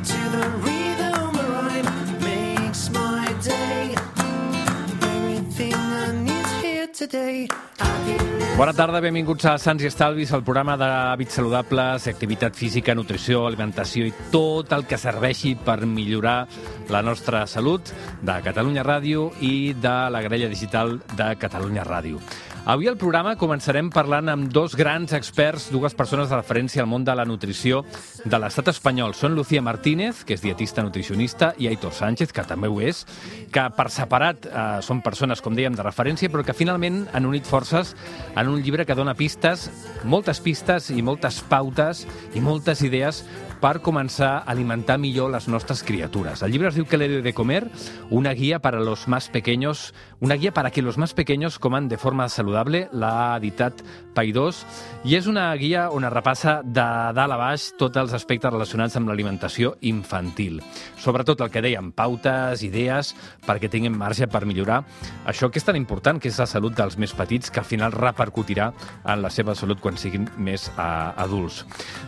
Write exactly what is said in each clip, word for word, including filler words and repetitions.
to the rhythm of rhyme makes my day. Everything I need here today. Bona tarda, benvinguts a Sants i Estalvis, el programa d'hàbits saludables, activitat física, nutrició, alimentació i tot el que serveixi per millorar la nostra salut de Catalunya Ràdio i de la grella digital de Catalunya Ràdio. Avui al programa començarem parlant amb dos grans experts, dues persones de referència al món de la nutrició de l'estat espanyol. Són Lucía Martínez, que és dietista nutricionista, i Aitor Sánchez, que també ho és, que per separat eh, són persones, com dèiem, de referència, però que finalment han unit forces en un llibre que dona pistes, moltes pistes i moltes pautes i moltes idees per començar a alimentar millor les nostres criatures. El llibre es diu ¿Qué le doy de comer? Una guía para los más pequeños, una guía para que los más pequeños coman de forma saludable. L'ha editat Paidós i és una guia on es repassa de dalt a baix tots els aspectes relacionats amb l'alimentació infantil. Sobretot el que dèiem, pautes, idees, perquè tinguin marge per millorar això que és tan important, que és la salut dels més petits, que al final repercutirà en la seva salut quan siguin més eh, adults.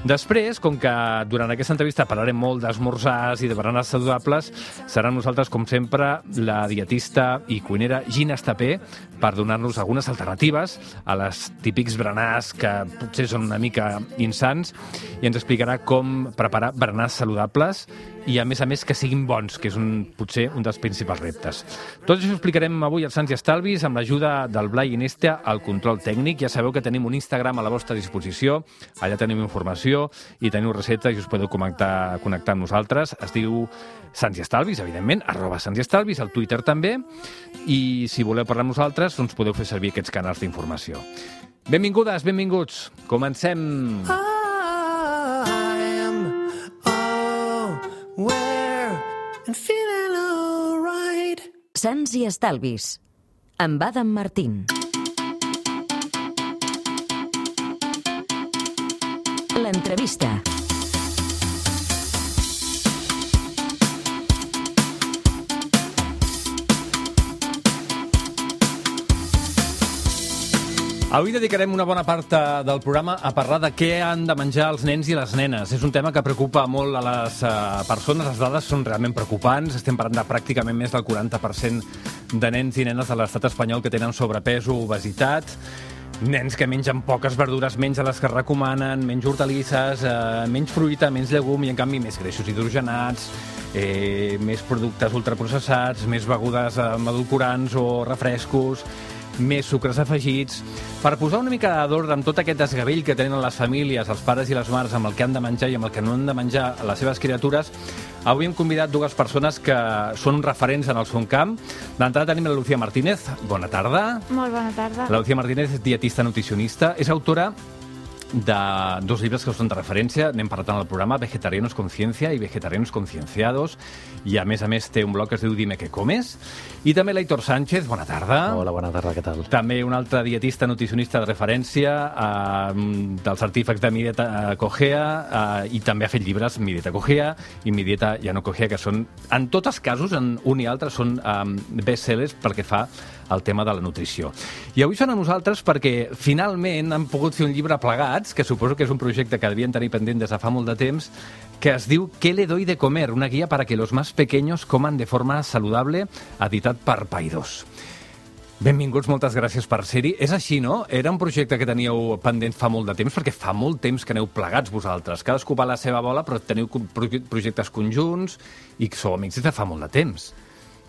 Després, com que durant en aquesta entrevista parlarem molt d'esmorzars i de berenars saludables, serà nosaltres, com sempre, la dietista i cuinera Gina Estapé, per donar-nos algunes alternatives a les típics berenars que potser són una mica insans, i ens explicarà com preparar berenars saludables i, a més a més, que siguin bons, que és un, potser un dels principals reptes. Tot això ho explicarem avui als Sants i Estalvis amb l'ajuda del Blai Iniesta al control tècnic. Ja sabeu que tenim un Instagram a la vostra disposició, allà tenim informació i teniu receptes i us podeu connectar, connectar amb nosaltres. Es diu Sants i Estalvis, evidentment, arroba Sants i Estalvis, al Twitter també, i si voleu parlar amb nosaltres, doncs podeu fer servir aquests canals d'informació. Benvingudes, benvinguts, comencem! And feeling all right. Sants i Estalvis, amb Adam Martín. L'entrevista. Avui dedicarem una bona part del programa a parlar de què han de menjar els nens i les nenes. És un tema que preocupa molt a les uh, persones. Les dades són realment preocupants. Estem parlant de pràcticament més del quaranta per cent de nens i nenes de l'estat espanyol que tenen sobrepès o obesitat. Nens que mengen poques verdures, menys de les que recomanen, menys hortalisses, eh, menys fruita, menys llegum i, en canvi, més greixos hidrogenats, eh, més productes ultraprocessats, més begudes amb edulcorants o refrescos, més sucres afegits. Per posar una mica d'ordre amb tot aquest desgavell que tenen les famílies, els pares i les mares, amb el que han de menjar i amb el que no han de menjar a les seves criatures, avui hem convidat dues persones que són referents en el seu camp. D'entrada tenim la Lucía Martínez. Bona tarda. Molt bona tarda. La Lucía Martínez és dietista nutricionista, és autora de dos llibres que són de referència, n'hem parlat en el programa, Vegetarianos con Ciencia i Vegetarianos Concienciados, i a més a més té un blog que es diu Dime qué comes. I també l'Aitor Sánchez, bona tarda. Hola, bona tarda, què tal? També un altre dietista nutricionista de referència, eh, dels artífecs de Mi Dieta Cogea, eh, i també ha fet llibres Mi Dieta Cogea i Mi Dieta Ja no Cogea, que són, en tots els casos, en un i altre, són eh, best-sellers pel que fa al tema de la nutrició. I avui són a nosaltres perquè finalment han pogut fer un llibre plegats, que suposo que és un projecte que devien tenir pendent des de fa molt de temps, que es diu ¿Qué le doy de comer? Una guía para que los más pequeños coman de forma saludable, editat per Paidós. Benvinguts, moltes gràcies per ser-hi. És així, no? Era un projecte que teníeu pendent fa molt de temps, perquè fa molt temps que aneu plegats vosaltres. Cadascú va a la seva bola, però teniu projectes conjunts i sou amics des de fa molt de temps.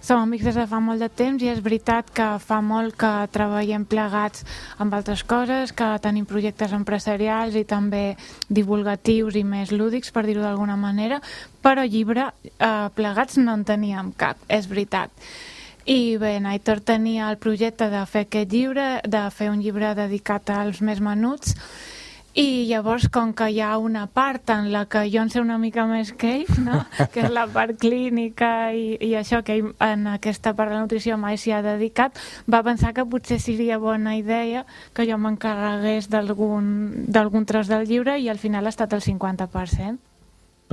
Som amics des de fa molt de temps i és veritat que fa molt que treballem plegats amb altres coses, que tenim projectes empresarials i també divulgatius i més lúdics, per dir-ho d'alguna manera, però llibre eh, plegats no en teníem cap, és veritat. I bé, Aitor tenia el projecte de fer aquest llibre, de fer un llibre dedicat als més menuts, i llavors, com que hi ha una part en la que jo en sé una mica més que ell, no? Que és la part clínica i, i això, que ell en aquesta part de la nutrició mai s'hi ha dedicat, va pensar que potser seria bona idea que jo m'encarregués d'algun d'algun tros del llibre i al final ha estat el cinquanta per cent.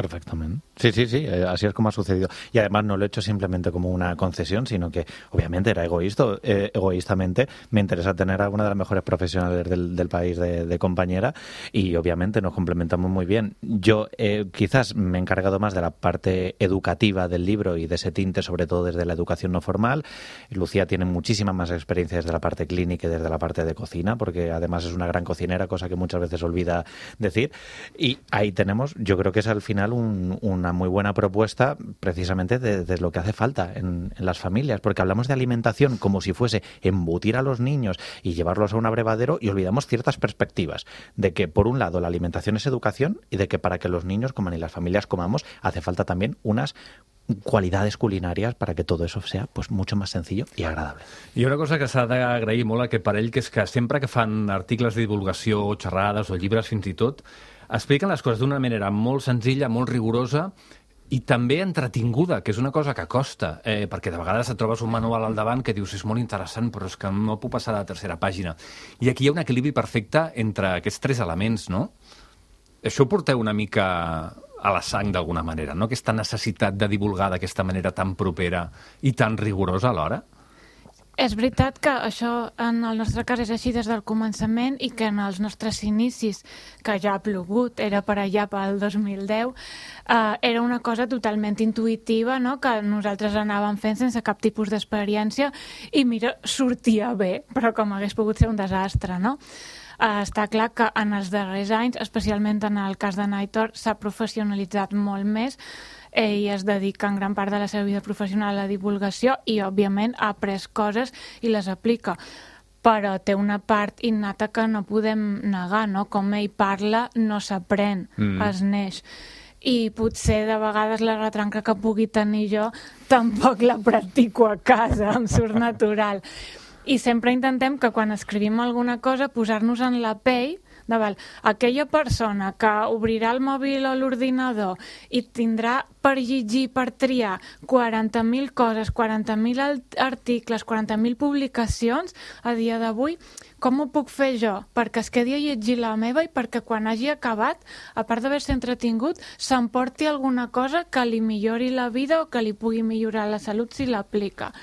Perfectament. Sí, sí, sí, eh, así es como ha sucedido. Y además no lo he hecho simplemente como una concesión, sino que obviamente era egoísta, eh, egoístamente me interesa tener a una de las mejores profesionales del, del país de, de compañera y obviamente nos complementamos muy bien. Yo eh, quizás me he encargado más de la parte educativa del libro y de ese tinte, sobre todo desde la educación no formal. Lucía tiene muchísima más experiencia desde la parte clínica y desde la parte de cocina, porque además es una gran cocinera, cosa que muchas veces olvida decir. Y ahí tenemos, yo creo que es al final un, una muy buena propuesta precisamente de, de lo que hace falta en, en las familias, porque hablamos de alimentación como si fuese embutir a los niños y llevarlos a un abrevadero y olvidamos ciertas perspectivas de que, por un lado, la alimentación es educación y de que para que los niños coman y las familias comamos hace falta también unas qualitats culinàries para que tot això sea pues, mucho más sencillo y agradable. I una cosa que s'ha d'agrair molt a aquest parell, que és que sempre que fan articles de divulgació o xerrades o llibres fins i tot, expliquen les coses d'una manera molt senzilla, molt rigorosa i també entretinguda, que és una cosa que costa, eh, perquè de vegades et trobes un manual al davant que dius és molt interessant, però és que no puc passar a la tercera pàgina. I aquí hi ha un equilibri perfecte entre aquests tres elements, no? Això ho porteu una mica a la sang d'alguna manera, no? Aquesta necessitat de divulgar d'aquesta manera tan propera i tan rigorosa alhora. És veritat que això en el nostre cas és així des del començament i que en els nostres inicis, que ja ha plogut, era per allà pel dos mil deu, eh, era una cosa totalment intuïtiva, no? Que nosaltres anàvem fent sense cap tipus d'experiència i mira, sortia bé, però com hagués pogut ser un desastre, no? Uh, està clar que en els darrers anys, especialment en el cas de Naitor, s'ha professionalitzat molt més. Ell es dedica en gran part de la seva vida professional a la divulgació i, òbviament, ha après coses i les aplica. Però té una part innata que no podem negar, no? Com ell parla, no s'aprèn, mm. es neix. I potser de vegades la retranca que pugui tenir jo tampoc la practico a casa, em surt natural. I sempre intentem que quan escrivim alguna cosa posar-nos en la pell de val, aquella persona que obrirà el mòbil o l'ordinador i tindrà per llegir, per triar quaranta mil coses, quaranta mil articles, quaranta mil publicacions a dia d'avui, com ho puc fer jo? Perquè es quedi a llegir la meva i perquè quan hagi acabat, a part d'haver-se entretingut, s'emporti alguna cosa que li millori la vida o que li pugui millorar la salut si l'aplica.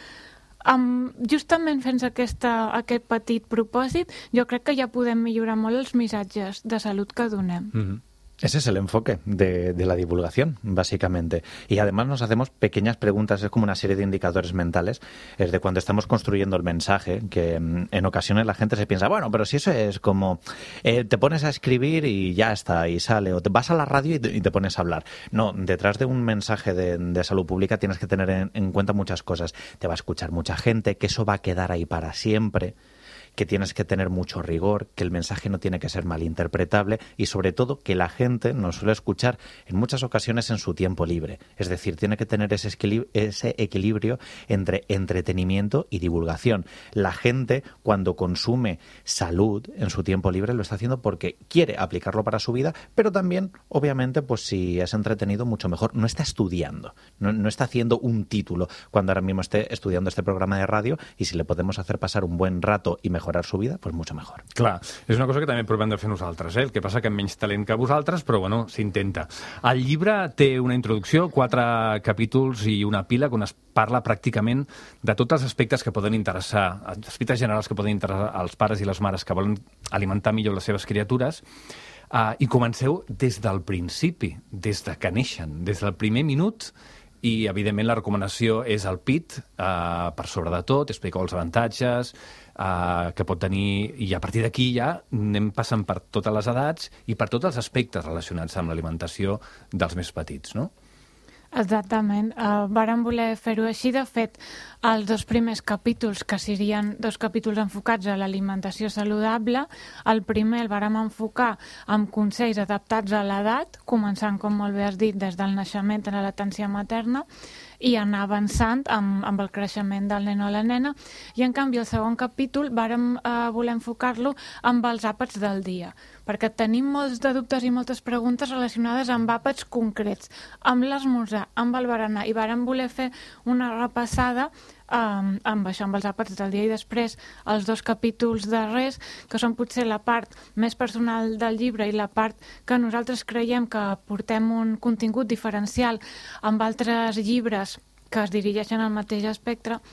Um, justament fent aquesta, aquest petit propòsit, jo crec que ja podem millorar molt els missatges de salut que donem. Mm-hmm. Ese es el enfoque de, de la divulgación, básicamente. Y además nos hacemos pequeñas preguntas, es como una serie de indicadores mentales, es de cuando estamos construyendo el mensaje, que en ocasiones la gente se piensa, bueno, pero si eso es como, eh, te pones a escribir y ya está, y sale, o te vas a la radio y te, y te pones a hablar. No, detrás de un mensaje de, de salud pública tienes que tener en, en cuenta muchas cosas. Te va a escuchar mucha gente, que eso va a quedar ahí para siempre, que tienes que tener mucho rigor, que el mensaje no tiene que ser malinterpretable y sobre todo que la gente nos suele escuchar en muchas ocasiones en su tiempo libre. Es decir, tiene que tener ese equilibrio, ese equilibrio entre entretenimiento y divulgación. La gente cuando consume salud en su tiempo libre lo está haciendo porque quiere aplicarlo para su vida, pero también, obviamente, pues si es entretenido, mucho mejor. No está estudiando, no, no está haciendo un título cuando ahora mismo esté estudiando este programa de radio y si le podemos hacer pasar un buen rato y mejor su vida, pues mucho mejor. Clar, és una cosa que també provem de fer nosaltres, eh? El que passa que amb menys talent que vosaltres, però bueno, s'intenta. El llibre té una introducció, quatre capítols i una pila on es parla pràcticament de tots els aspectes que poden interessar, aspectes generals que poden interessar als pares i les mares que volen alimentar millor les seves criatures, uh, i comenceu des del principi, des de que neixen, des del primer minut. I, evidentment, la recomanació és el P I T, eh, per sobre de tot, explica els avantatges eh, que pot tenir, i a partir d'aquí ja anem passant per totes les edats i per tots els aspectes relacionats amb l'alimentació dels més petits, no? Exactament. Uh, vàrem voler fer-ho així. De fet, els dos primers capítols, que serien dos capítols enfocats a l'alimentació saludable, el primer el vàrem enfocar amb consells adaptats a l'edat, començant, com molt bé has dit, des del naixement a la latència materna, i anar avançant amb, amb el creixement del nen o la nena. I, en canvi, el segon capítol vàrem eh, voler enfocar-lo amb els àpats del dia. perquè tenim molts de dubtes i moltes preguntes relacionades amb àpats concrets, amb l'esmorzar, amb el berenar, i vàrem voler fer una repassada Um, amb això, amb els àpats del dia i després els dos capítols darrers, que són potser la part més personal del llibre i la part que nosaltres creiem que portem un contingut diferencial amb altres llibres que es dirigeixen al mateix espectre.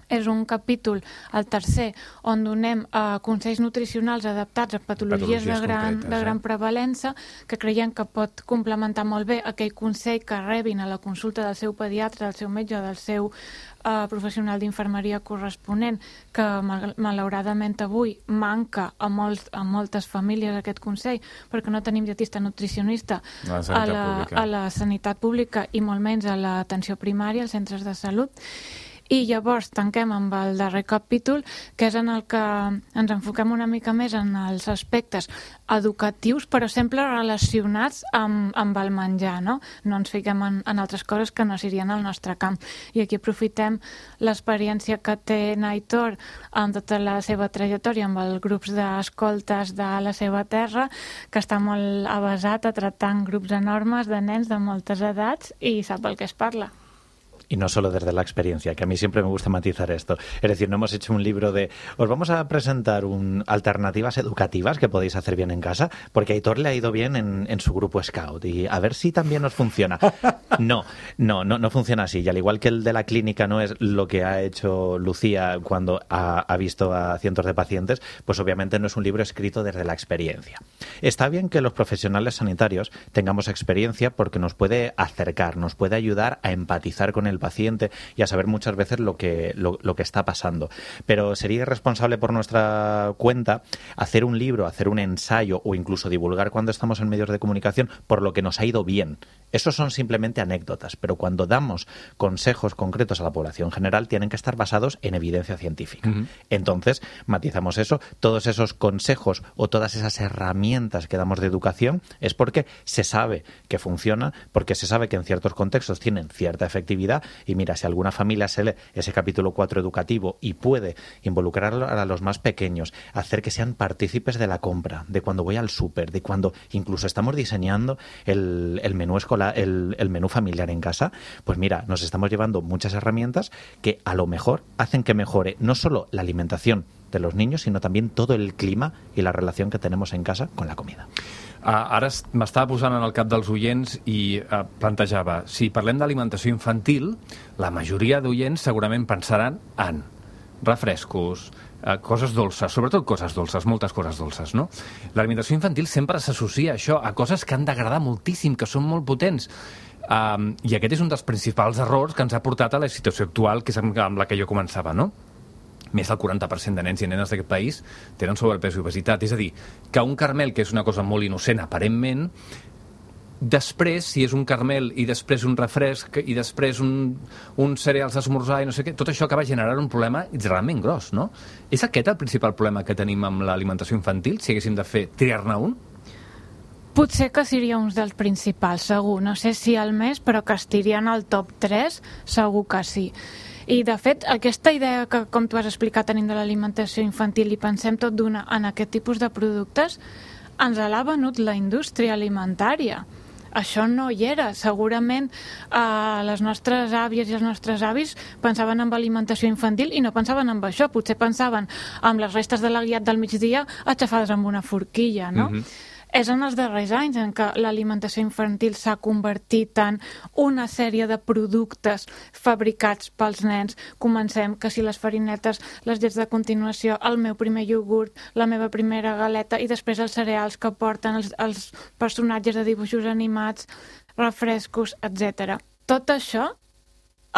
És un capítol, el tercer, on donem uh, consells nutricionals adaptats a patologies, patologies de, gran, de gran prevalença, que creiem que pot complementar molt bé aquell consell que rebin a la consulta del seu pediatre, del seu metge o del seu uh, professional d'infermeria corresponent, que mal malauradament avui manca a, molts, a moltes famílies aquest consell, perquè no tenim dietista nutricionista la a, la, a la sanitat pública i molt menys a l'atenció primària, als centres de salut. I llavors tanquem amb el darrer capítol, que és en el que ens enfoquem una mica més en els aspectes educatius, però sempre relacionats amb, amb el menjar, no? No ens fiquem en, en altres coses que no serien al nostre camp. I aquí aprofitem l'experiència que té Naitor amb tota la seva trajectòria amb els grups d'escoltes de la seva terra, que està molt avasat a tractar grups enormes de nens de moltes edats i sap el que es parla. Y no solo desde la experiencia, que a mí siempre me gusta matizar esto. Es decir, no hemos hecho un libro de os vamos a presentar un, alternativas educativas que podéis hacer bien en casa, porque a Aitor le ha ido bien en, en su grupo Scout y a ver si también os funciona. No, no, no, no funciona así. Y al igual que el de la clínica no es lo que ha hecho Lucía cuando ha, ha visto a cientos de pacientes, pues obviamente no es un libro escrito desde la experiencia. Está bien que los profesionales sanitarios tengamos experiencia porque nos puede acercar, nos puede ayudar a empatizar con el paciente y a saber muchas veces lo que, lo, lo que está pasando. Pero sería irresponsable por nuestra cuenta hacer un libro, hacer un ensayo o incluso divulgar cuando estamos en medios de comunicación por lo que nos ha ido bien. Esos son simplemente anécdotas, pero cuando damos consejos concretos a la población general tienen que estar basados en evidencia científica. Uh-huh. Entonces, matizamos eso, todos esos consejos o todas esas herramientas que damos de educación es porque se sabe que funciona, porque se sabe que en ciertos contextos tienen cierta efectividad. Y mira, si alguna familia se lee ese capítulo cuatro educativo y puede involucrar a los más pequeños, hacer que sean partícipes de la compra, de cuando voy al súper, de cuando incluso estamos diseñando el, el menú escolar, el, el menú familiar en casa, pues mira, nos estamos llevando muchas herramientas que a lo mejor hacen que mejore no solo la alimentación de los niños, sino también todo el clima y la relación que tenemos en casa con la comida. Uh, ara m'estava posant en el cap dels oients i uh, plantejava, si parlem d'alimentació infantil, la majoria d'oients segurament pensaran en refrescos, uh, coses dolces, sobretot coses dolces, moltes coses dolces, no? L'alimentació infantil sempre s'associa a això, a coses que han d'agradar moltíssim, que són molt potents. Um, I aquest és un dels principals errors que ens ha portat a la situació actual, que és amb la que jo començava, no? Més del quaranta per cent de nens i nenes d'aquest país tenen sobrepès i obesitat. És a dir, que un caramel, que és una cosa molt innocent, aparentment, després, si és un caramel i després un refresc i després un, un cereals d'esmorzar i no sé què, tot això acaba generant un problema realment gros, no? És aquest el principal problema que tenim amb l'alimentació infantil, si haguéssim de fer triar-ne un? Potser que seria un dels principals, segur. No sé si el més, però que estirien al top tres, segur que sí. I, de fet, aquesta idea que, com tu has explicat, tenim de l'alimentació infantil i pensem tot d'una en aquest tipus de productes, ens l'ha venut la indústria alimentària. Això no hi era. Segurament eh, les nostres àvies i els nostres avis pensaven en alimentació infantil i no pensaven en això. Potser pensaven en les restes de la guiat del migdia aixafades amb una forquilla, no? Mm-hmm. És en els darrers anys en què l'alimentació infantil s'ha convertit en una sèrie de productes fabricats pels nens. Comencem que si les farinetes, les llets de continuació, el meu primer iogurt, la meva primera galeta i després els cereals que porten els, els personatges de dibuixos animats, refrescos, etcètera. Tot això,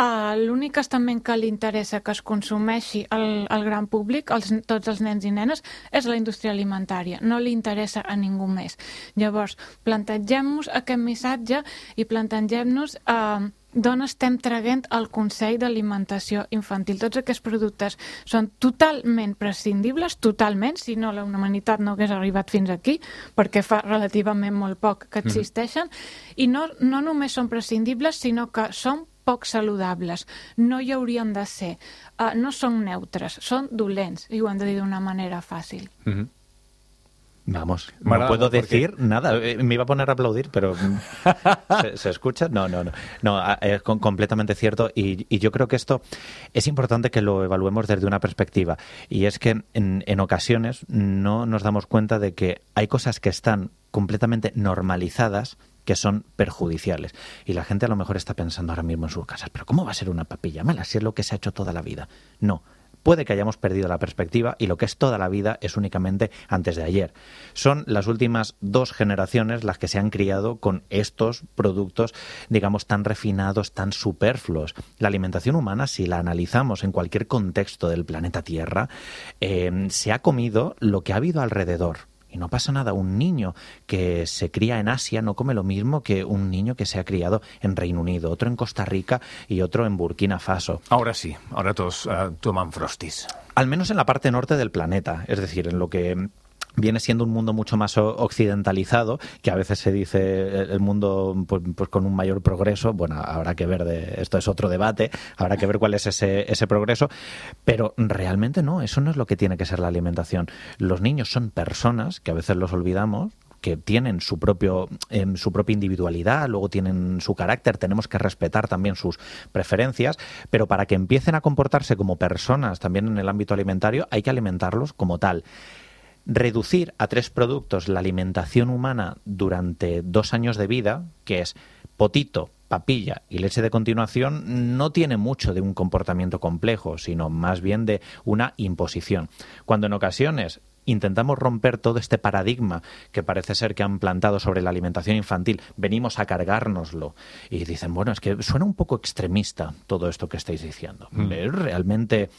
Uh, l'únic estament que li interessa que es consumeixi al, al gran públic, els, tots els nens i nenes, és la indústria alimentària. No li interessa a ningú més. Llavors, plantegem-nos aquest missatge i plantegem-nos uh, d'on estem traient el Consell d'Alimentació Infantil. Tots aquests productes són totalment prescindibles, totalment, si no la humanitat no hagués arribat fins aquí, perquè fa relativament molt poc que existeixen, mm. i no, no només són prescindibles, sinó que són poc saludables, no hi haurien de ser, uh, no són neutres, són dolents, i ho hem de dir d'una manera fàcil. Mm-hmm. Vamos, Me no agrada puedo molt perquè- decir nada. Eh, Me iba a poner a aplaudir, pero ¿se, se escucha? No, no, no. No, a- es con- completamente cierto. Y, y yo creo que esto es importante que lo evaluemos desde una perspectiva. Y es que en, en ocasiones no nos damos cuenta de que hay cosas que están completamente normalizadas que son perjudiciales. Y la gente a lo mejor está pensando ahora mismo en sus casas, pero ¿cómo va a ser una papilla mala si es lo que se ha hecho toda la vida? No. Puede que hayamos perdido la perspectiva y lo que es toda la vida es únicamente antes de ayer. Son las últimas dos generaciones las que se han criado con estos productos, digamos, tan refinados, tan superfluos. La alimentación humana, si la analizamos en cualquier contexto del planeta Tierra, eh, se ha comido lo que ha habido alrededor. Y no pasa nada. Un niño que se cría en Asia no come lo mismo que un niño que se ha criado en Reino Unido, otro en Costa Rica y otro en Burkina Faso. Ahora sí, ahora todos uh, toman Frosties. Al menos en la parte norte del planeta, es decir, en lo que viene siendo un mundo mucho más o- occidentalizado, que a veces se dice el mundo pues, pues con un mayor progreso. Bueno, habrá que ver, de, esto es otro debate, habrá que ver cuál es ese, ese progreso, pero realmente no, eso no es lo que tiene que ser la alimentación. Los niños son personas, que a veces los olvidamos, que tienen su propio eh, su propia individualidad, luego tienen su carácter, tenemos que respetar también sus preferencias, pero para que empiecen a comportarse como personas también en el ámbito alimentario hay que alimentarlos como tal. Reducir a tres productos la alimentación humana durante dos años de vida, que es potito, papilla y leche de continuación, no tiene mucho de un comportamiento complejo, sino más bien de una imposición. Cuando en ocasiones intentamos romper todo este paradigma que parece ser que han plantado sobre la alimentación infantil, venimos a cargárnoslo y dicen, bueno, es que suena un poco extremista todo esto que estáis diciendo. Mm. Es realmente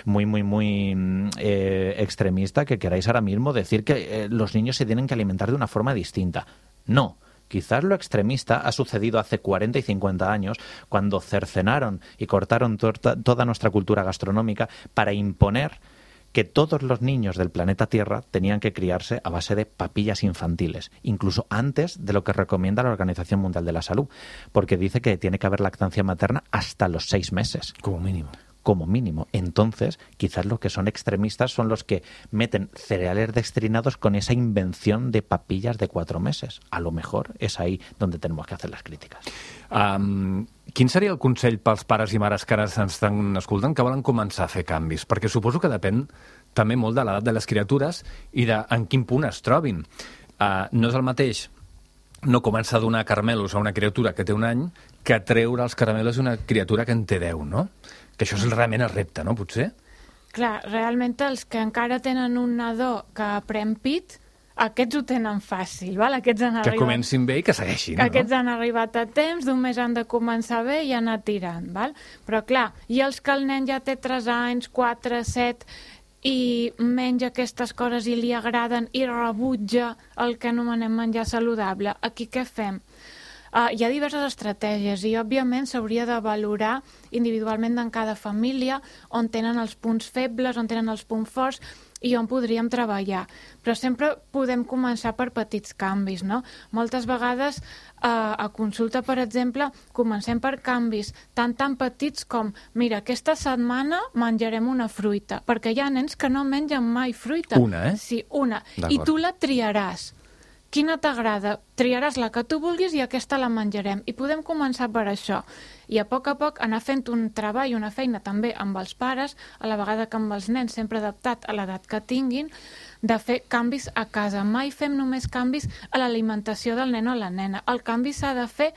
muy, muy, muy eh, extremista que queráis ahora mismo decir que eh, los niños se tienen que alimentar de una forma distinta. No. Quizás lo extremista ha sucedido hace cuarenta y cincuenta años, cuando cercenaron y cortaron to- toda nuestra cultura gastronómica para imponer que todos los niños del planeta Tierra tenían que criarse a base de papillas infantiles, incluso antes de lo que recomienda la Organización Mundial de la Salud, porque dice que tiene que haber lactancia materna hasta los seis meses. Como mínimo. Como mínimo. Entonces, quizás los que son extremistas son los que meten cereales dextrinados con esa invención de papillas de cuatro meses. A lo mejor és ahí donde tenemos que hacer las críticas. Um, quin seria el consell pels pares i mares que ara ens estan escoltant que volen començar a fer canvis? Perquè suposo que depèn també molt de l'edat de les criatures i de en quin punt es trobin. Uh, no és el mateix no començar a donar caramelos a una criatura que té un any que treure els caramelos a una criatura que en té deu, no? Que això és realment el repte, no? Potser? Clar, realment els que encara tenen un nadó que pren pit, aquests ho tenen fàcil, val? Aquests han Que arribat... comencin bé i que segueixin, no? Aquests han arribat a temps, només han de començar bé i anar tirant, val? Però clar, i els que el nen ja té tres anys, quatre, set, i menja aquestes coses i li agraden i rebutja el que anomenem menjar saludable, aquí què fem? Uh, hi ha diverses estratègies i, òbviament, s'hauria de valorar individualment en cada família on tenen els punts febles, on tenen els punts forts i on podríem treballar. Però sempre podem començar per petits canvis, no? Moltes vegades eh, a consulta, per exemple, comencem per canvis tan tan petits com, mira, aquesta setmana menjarem una fruita, perquè hi ha nens que no mengen mai fruita. Una, eh? Sí, una. I tu la triaràs. Quina t'agrada? Triaràs la que tu vulguis i aquesta la menjarem. I podem començar per això. I a poc a poc anar fent un treball, una feina també amb els pares, a la vegada que amb els nens, sempre adaptat a l'edat que tinguin, de fer canvis a casa. Mai fem només canvis a l'alimentació del nen o la nena. El canvi s'ha de fer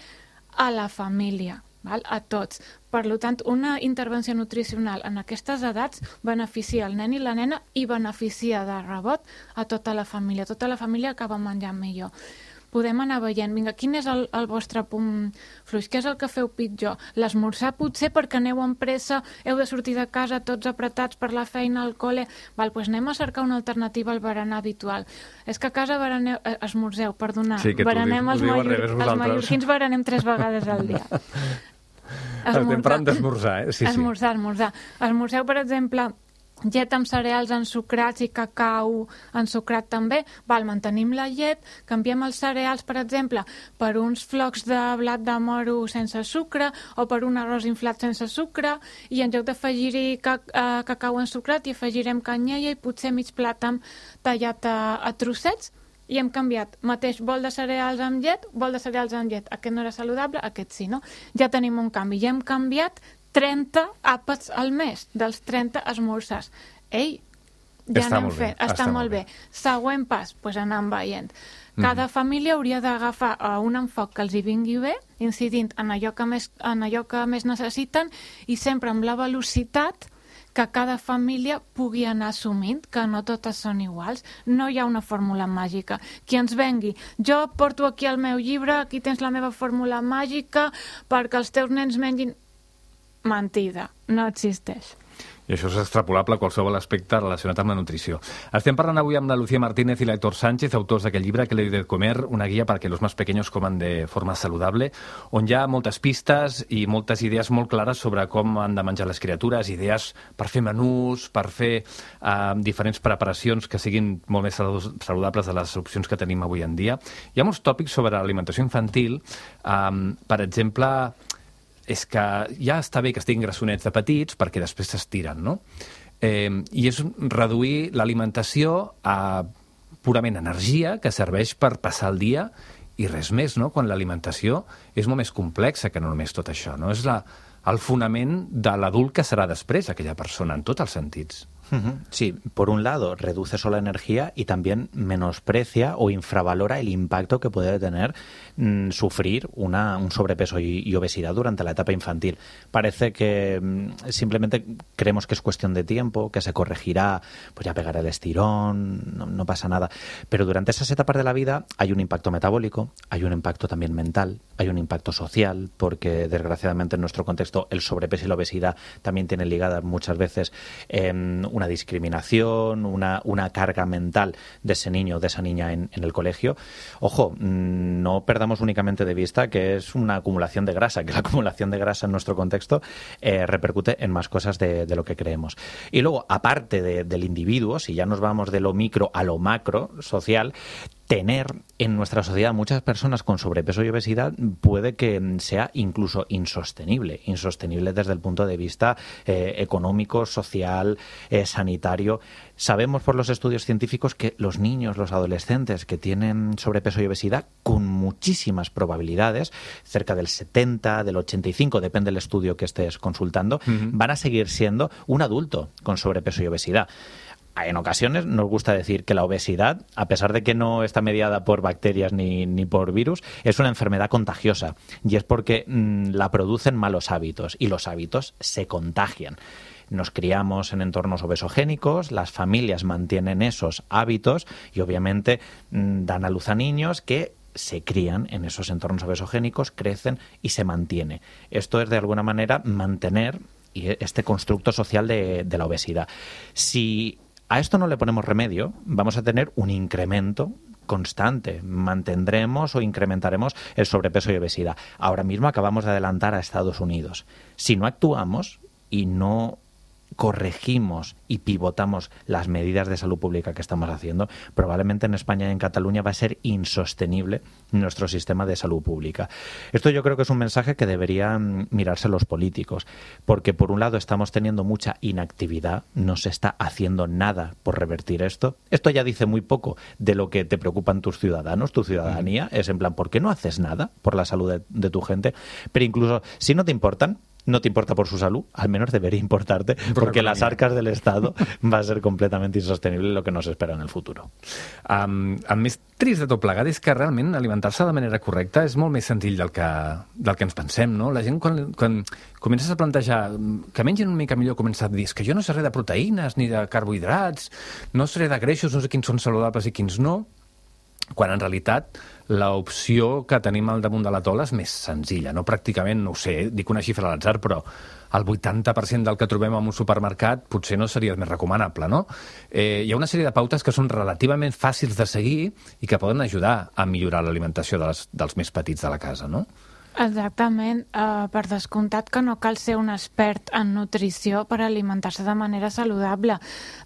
a la família, val? A tots. Per tant, una intervenció nutricional en aquestes edats beneficia el nen i la nena i beneficia de rebot a tota la família. Tota la família acaba menjant millor. Podem anar veient, vinga, quin és el, el vostre punt fluix? Què és el que feu pitjor? L'esmorzar potser perquè aneu amb pressa, heu de sortir de casa tots apretats per la feina, al col·le... Val, doncs anem a cercar una alternativa al berenar habitual. És que a casa bereneu, eh, esmorzeu, perdonar, sí, berenem els, els, mallor, els mallorquins berenem tres vegades al dia. Estem parlant d'esmorzar, eh? Sí, esmorzar, sí. esmorzar. Esmorzeu, per exemple, llet amb cereals ensucrats i cacau ensucrat també. Val, mantenim la llet, canviem els cereals, per exemple, per uns flocs de blat de moro sense sucre o per un arròs inflat sense sucre, i en lloc d'afegir-hi ca uh, cacau ensucrat hi afegirem canyella i potser mig plàtan tallat a, a trossets, i hem canviat mateix bol de cereals amb llet, bol de cereals amb llet. Aquest no era saludable, aquest sí, no? Ja tenim un canvi. Ja hem canviat trenta àpats al mes, dels trenta esmorzars. Ei, ja està anem molt fent. bé, Està, està molt bé. bé. Següent pas, doncs anant veient. Cada mm. família hauria d'agafar uh, un enfoc que els hi vingui bé, incidint en allò que més, en allò que més necessiten i sempre amb la velocitat que cada família pugui anar assumint, que no totes són iguals. No hi ha una fórmula màgica. Qui ens vengui, jo porto aquí el meu llibre, aquí tens la meva fórmula màgica perquè els teus nens mengin... Mentida, no existeix. I això és extrapolable a qualsevol aspecte relacionat amb la nutrició. Estem parlant avui amb la Lucía Martínez i l'Héctor Sánchez, autors d'aquest llibre, Que le de comer, una guia perquè los más pequeños coman de forma saludable, on hi ha moltes pistes i moltes idees molt clares sobre com han de menjar les criatures, idees per fer menús, per fer eh, diferents preparacions que siguin molt més saludables de les opcions que tenim avui en dia. Hi ha molts tòpics sobre l'alimentació infantil, eh, per exemple... és que ja està bé que estiguin grassonets de petits perquè després s'estiren, no? Eh, I és reduir l'alimentació a purament energia que serveix per passar el dia i res més, no? Quan l'alimentació és molt més complexa que no només tot això, no? És la, el fonament de l'adult que serà després aquella persona, en tots els sentits. Sí, por un lado reduce solo la energía y también menosprecia o infravalora el impacto que puede tener mmm, sufrir una, un sobrepeso y, y obesidad durante la etapa infantil. Parece que mmm, simplemente creemos que es cuestión de tiempo, que se corregirá, pues ya pegará el estirón, no, no pasa nada. Pero durante esas etapas de la vida hay un impacto metabólico, hay un impacto también mental, hay un impacto social, porque desgraciadamente en nuestro contexto el sobrepeso y la obesidad también tienen ligadas muchas veces eh, una discriminación, una, una carga mental de ese niño o de esa niña en, en el colegio. Ojo, no perdamos únicamente de vista que es una acumulación de grasa, que la acumulación de grasa en nuestro contexto eh, repercute en más cosas de, de lo que creemos. Y luego, aparte de, del individuo, si ya nos vamos de lo micro a lo macro social, tener en nuestra sociedad muchas personas con sobrepeso y obesidad puede que sea incluso insostenible, insostenible desde el punto de vista eh, económico, social, eh, sanitario. Sabemos por los estudios científicos que los niños, los adolescentes que tienen sobrepeso y obesidad, con muchísimas probabilidades, cerca del setenta, del ochenta y cinco, depende del estudio que estés consultando, uh-huh. van a seguir siendo un adulto con sobrepeso y obesidad. En ocasiones nos gusta decir que la obesidad, a pesar de que no está mediada por bacterias ni, ni por virus, es una enfermedad contagiosa y es porque mmm, la producen malos hábitos y los hábitos se contagian. Nos criamos en entornos obesogénicos, las familias mantienen esos hábitos y obviamente mmm, dan a luz a niños que se crían en esos entornos obesogénicos, crecen y se mantiene. Esto es de alguna manera mantener este constructo social de, de la obesidad. Si a esto no le ponemos remedio, vamos a tener un incremento constante. Mantendremos o incrementaremos el sobrepeso y obesidad. Ahora mismo acabamos de adelantar a Estados Unidos. Si no actuamos y no corregimos y pivotamos las medidas de salud pública que estamos haciendo, probablemente en España y en Cataluña va a ser insostenible nuestro sistema de salud pública. Esto yo creo que es un mensaje que deberían mirarse los políticos, porque por un lado estamos teniendo mucha inactividad, no se está haciendo nada por revertir esto. Esto ya dice muy poco de lo que te preocupan tus ciudadanos, tu ciudadanía, es en plan, ¿por qué no haces nada por la salud de, de tu gente? Pero incluso si no te importan, no te importa por su salud, al menos debería importarte, porque las arcas del Estado va a ser completamente insostenible lo que nos espera en el futuro. Um, el més trist de tot plegat és que realment alimentar-se de manera correcta és molt més senzill del que, del que ens pensem, no? La gent quan, quan comences a plantejar que mengin una mica millor, comença a dir que jo no sé res de proteïnes ni de carbohidrats, no sé de greixos, no sé quins són saludables i quins no, quan en realitat l'opció que tenim al damunt de la taula és més senzilla, no? Pràcticament, no ho sé, dic una xifra a l'atzar, però el vuitanta per cent del que trobem en un supermercat potser no seria el més recomanable, no? Eh, hi ha una sèrie de pautes que són relativament fàcils de seguir i que poden ajudar a millorar l'alimentació dels, dels més petits de la casa, no? Exactament, uh, per descomptat que no cal ser un expert en nutrició per alimentar-se de manera saludable.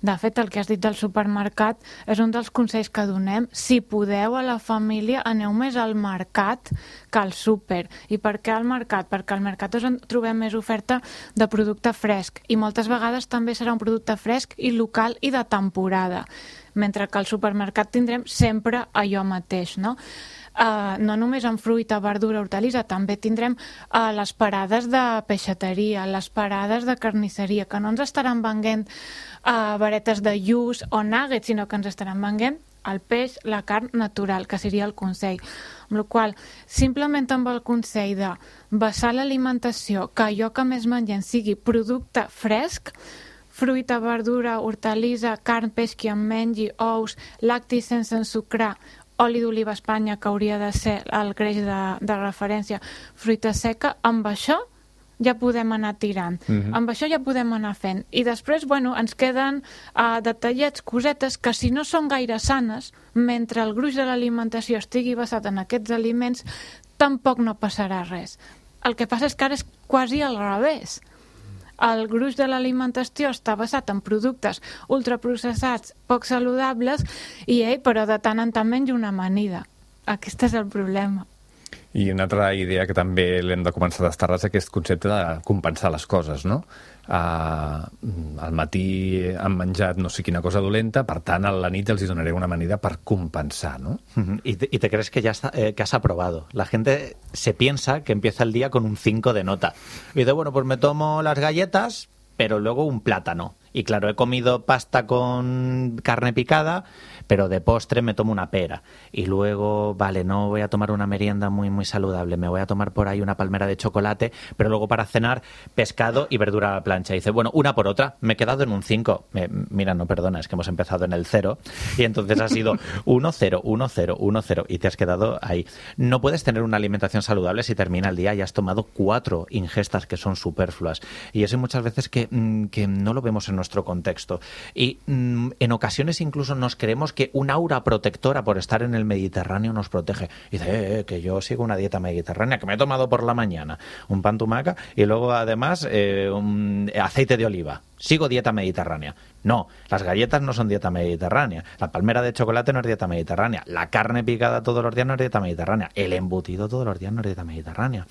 De fet, el que has dit del supermercat és un dels consells que donem. Si podeu a la família, aneu més al mercat que al súper. I per què al mercat? Perquè al mercat és on trobem més oferta de producte fresc i moltes vegades també serà un producte fresc i local i de temporada. mentre que al supermercat tindrem sempre allò mateix, no? Uh, no només en fruita, verdura, hortalissa, també tindrem uh, les parades de peixateria, les parades de carnisseria, que no ens estaran venent uh, varetes de lluç o nuggets, sinó que ens estaran venent el peix, la carn natural, que seria el consell. Amb la qual cosa, simplement amb el consell de basar l'alimentació, que allò que més mengem sigui producte fresc, fruita, verdura, hortalissa, carn, peix, que en mengi, ous, lactis sense ensucrar, oli d'oliva a Espanya, que hauria de ser el greix de, de referència, fruita seca, amb això ja podem anar tirant. Mm-hmm. Amb això ja podem anar fent. I després, bueno, ens queden uh, detallets, cosetes, que si no són gaire sanes, mentre el gruix de l'alimentació estigui basat en aquests aliments, tampoc no passarà res. El que passa és que ara és quasi al revés. El gruix de l'alimentació està basat en productes ultraprocessats, poc saludables, i ell, però de tant en tant menja una amanida. Aquest és el problema. I una altra idea que també l'hem de començar a destarar és aquest concepte de compensar les coses, no? Uh, al matí han menjat no sé quina cosa dolenta, per tant a la nit els hi donaré una amanida per compensar, ¿no? Uh-huh. Y, te, y te crees que ya está, eh, que has aprobado. La gente se piensa que empieza el día con un cinco de nota. Y dice, bueno, pues me tomo las galletas, pero luego un plátano. Y claro, he comido pasta con carne picada, pero de postre me tomo una pera. Y luego, vale, no voy a tomar una merienda muy, muy saludable, me voy a tomar por ahí una palmera de chocolate, pero luego para cenar, pescado y verdura a la plancha. Y dice, bueno, una por otra, me he quedado en un cinco. Eh, mira, no, perdona, es que hemos empezado en el cero. Y entonces ha sido uno, cero, uno, cero, uno, cero. Y te has quedado ahí. No puedes tener una alimentación saludable si termina el día y has tomado cuatro ingestas que son superfluas. Y eso hay muchas veces que, que no lo vemos en nuestro contexto. Y mmm, en ocasiones incluso nos creemos que un aura protectora por estar en el Mediterráneo nos protege. Y dice, eh, eh, que yo sigo una dieta mediterránea, que me he tomado por la mañana un pan tumaca y luego además eh, un aceite de oliva. Sigo dieta mediterránea. No, las galletas no son dieta mediterránea. La palmera de chocolate no es dieta mediterránea. La carne picada todos los días no es dieta mediterránea. El embutido todos los días no es dieta mediterránea.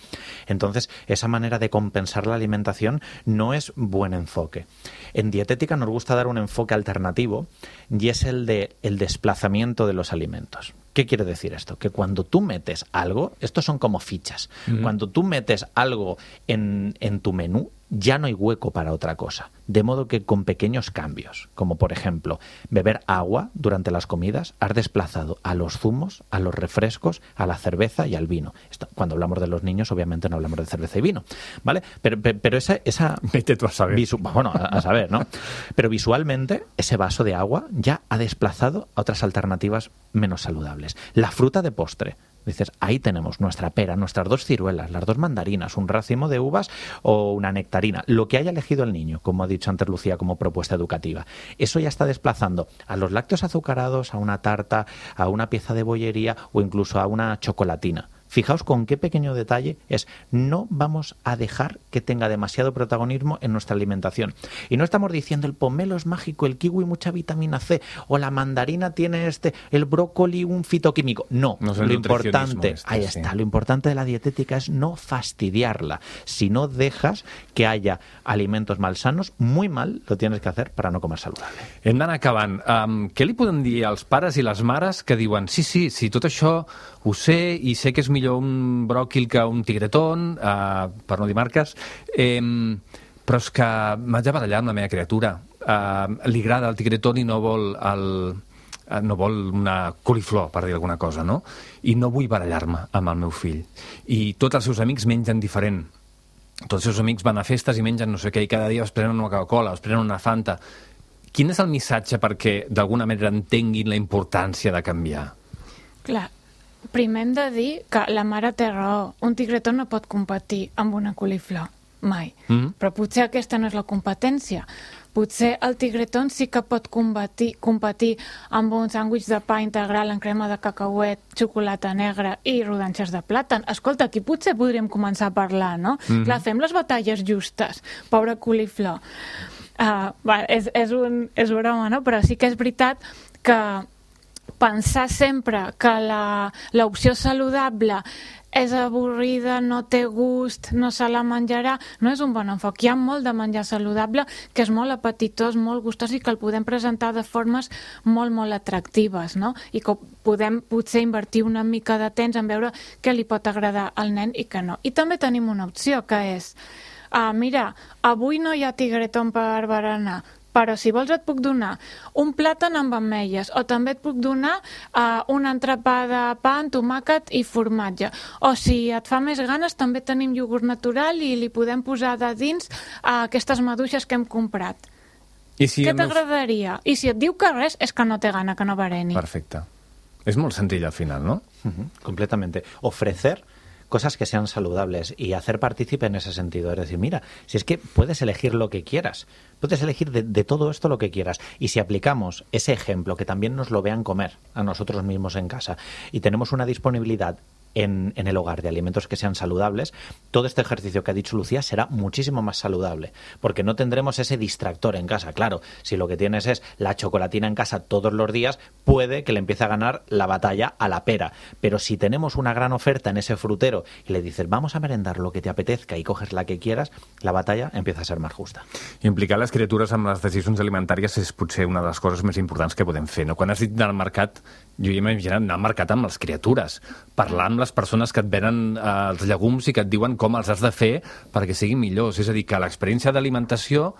Entonces, esa manera de compensar la alimentación no es buen enfoque. En dietética nos gusta dar un enfoque alternativo y es el de el desplazamiento de los alimentos. ¿Qué quiere decir esto? Que cuando tú metes algo, estos son como fichas, mm-hmm. Cuando tú metes algo en, en tu menú, ya no hay hueco para otra cosa. De modo que con pequeños cambios, como por ejemplo beber agua durante las comidas, has desplazado a los zumos, a los refrescos, a la cerveza y al vino. Esto, cuando hablamos de los niños, obviamente no hablamos de cerveza y vino, ¿vale? Pero, pero, pero esa... esa Vete tú a saber. Visu, bueno, a, a saber, ¿no? Pero visualmente, ese vaso de agua ya ha desplazado a otras alternativas menos saludables. La fruta de postre. Dices, ahí tenemos nuestra pera, nuestras dos ciruelas, las dos mandarinas, un racimo de uvas o una nectarina, lo que haya elegido el niño, como ha dicho antes Lucía, como propuesta educativa. Eso ya está desplazando a los lácteos azucarados, a una tarta, a una pieza de bollería o incluso a una chocolatina. Fijaos con qué pequeño detalle es, no vamos a dejar que tenga demasiado protagonismo en nuestra alimentación. Y no estamos diciendo el pomelo es mágico, el kiwi mucha vitamina C, o la mandarina tiene este, el brócoli un fitoquímico. No, no lo importante, este, ahí sí. está, lo importante de la dietética es no fastidiarla. Si no dejas que haya alimentos malsanos, muy mal lo tienes que hacer para no comer saludable. Hem d'anar acabant. Um, què li podem dir als pares i les mares que diuen sí, sí, sí, tot això ho sé i sé que és millor un bròquil que un tigretón, uh, per no dir marques, eh, però és que m'haig de barallar amb la meva criatura. Uh, li agrada el tigretón i no vol el, uh, no vol una coliflor, per dir alguna cosa, no? I no vull barallar-me amb el meu fill. I tots els seus amics mengen diferent. Tots els seus amics van a festes i mengen no sé què, i cada dia es prenen una Coca-Cola, es prenen una Fanta. Quin és el missatge perquè d'alguna manera entenguin la importància de canviar? Clar, primer hem de dir que la mare té raó. Un tigretó no pot competir amb una coliflor, mai. Mm-hmm. Però potser aquesta no és la competència. Potser el tigretón sí que pot competir, competir amb un sàndwich de pa integral en crema de cacauet, xocolata negra i rodanxes de plàtan. Escolta, aquí potser podríem començar a parlar, no? Mm-hmm. Clar, fem les batalles justes. Pobra coliflor. Uh, bueno, és, és, un, és broma, no? Però sí que és veritat que pensar sempre que la- l'opció saludable és avorrida, no té gust, no se la menjarà, no és un bon enfoc. Hi ha molt de menjar saludable que és molt apetitós, molt gustós i que el podem presentar de formes molt, molt atractives, no? I que podem potser invertir una mica de temps en veure què li pot agradar al nen i què no. I també tenim una opció que és, uh, mira, avui no hi ha tigretón per berenar, però si vols et puc donar un plàtan amb ametlles o també et puc donar uh, un entrepà de pa amb tomàquet i formatge. O si et fa més ganes també tenim iogurt natural i li podem posar de dins uh, aquestes maduixes que hem comprat. I si Què el meu- t'agradaria? I si et diu que res és que no té gana, que no bereni. Perfecte. És molt senzill al final, no? Ujú, completamente. Ofrecer cosas que sean saludables y hacer partícipe en ese sentido. Es decir, mira, si es que puedes elegir lo que quieras, puedes elegir de, de todo esto lo que quieras. Y si aplicamos ese ejemplo, que también nos lo vean comer a nosotros mismos en casa, y tenemos una disponibilidad en, en el hogar de alimentos que sean saludables, todo este ejercicio que ha dicho Lucía será muchísimo más saludable, porque no tendremos ese distractor en casa. Claro, si lo que tienes es la chocolatina en casa todos los días, puede que le empiece a ganar la batalla a la pera. Pero si tenemos una gran oferta en ese frutero y le dices, vamos a merendar lo que te apetezca y coges la que quieras, la batalla empieza a ser más justa. Implicar les criatures amb les decisions alimentàries és potser una de les coses més importants que podem fer, no? Quan has dit anar al mercat, jo ja m'he imaginat anar al mercat amb les criatures, parlar amb les persones que et venen eh, els llegums i que et diuen com els has de fer perquè siguin millors. És a dir, que l'experiència d'alimentació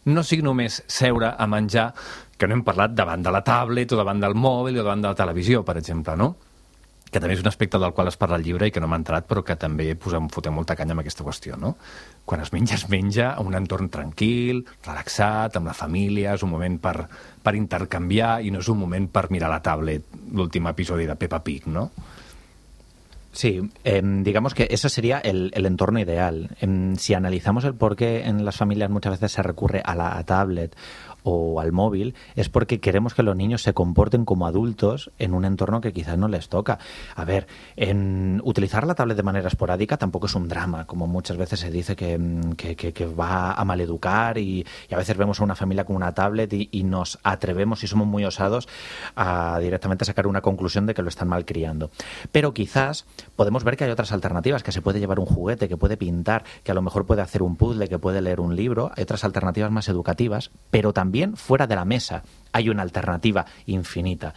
no sigui només seure a menjar, que no hem parlat davant de la tablet o davant del mòbil o davant de la televisió, per exemple, no? Que també és un aspecte del qual es parla al llibre i que no m'ha entrat, però que també posem, fotem molta canya amb aquesta qüestió, no? Quan es menja, es menja a un entorn tranquil, relaxat, amb la família, és un moment per, per intercanviar i no és un moment per mirar la tablet, l'últim episodi de Peppa Pig, no? Sí, eh, digamos que ese sería el, el entorno ideal. Eh, si analizamos el por qué en las familias muchas veces se recurre a la tablet o al móvil, es porque queremos que los niños se comporten como adultos en un entorno que quizás no les toca. A ver, en utilizar la tablet de manera esporádica tampoco es un drama, como muchas veces se dice que, que, que, que va a maleducar y, y a veces vemos a una familia con una tablet y, y nos atrevemos y somos muy osados a directamente sacar una conclusión de que lo están malcriando. Pero quizás podemos ver que hay otras alternativas, que se puede llevar un juguete, que puede pintar, que a lo mejor puede hacer un puzzle, que puede leer un libro. Hay otras alternativas más educativas, pero también fuera de la mesa hay una alternativa infinita.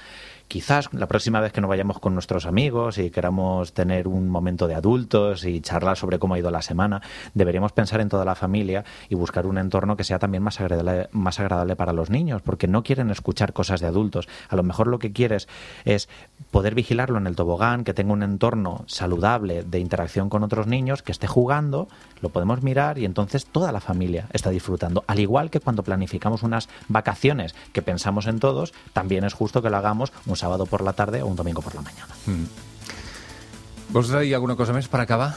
Quizás la próxima vez que nos vayamos con nuestros amigos y queramos tener un momento de adultos y charlar sobre cómo ha ido la semana, deberíamos pensar en toda la familia y buscar un entorno que sea también más agradable, más agradable para los niños, porque no quieren escuchar cosas de adultos. A lo mejor lo que quieres es poder vigilarlo en el tobogán, que tenga un entorno saludable de interacción con otros niños, que esté jugando, lo podemos mirar y entonces toda la familia está disfrutando. Al igual que cuando planificamos unas vacaciones que pensamos en todos, también es justo que lo hagamos un sábado por la tarde o un domingo por la mañana. Mm. Vols dir alguna cosa més per acabar?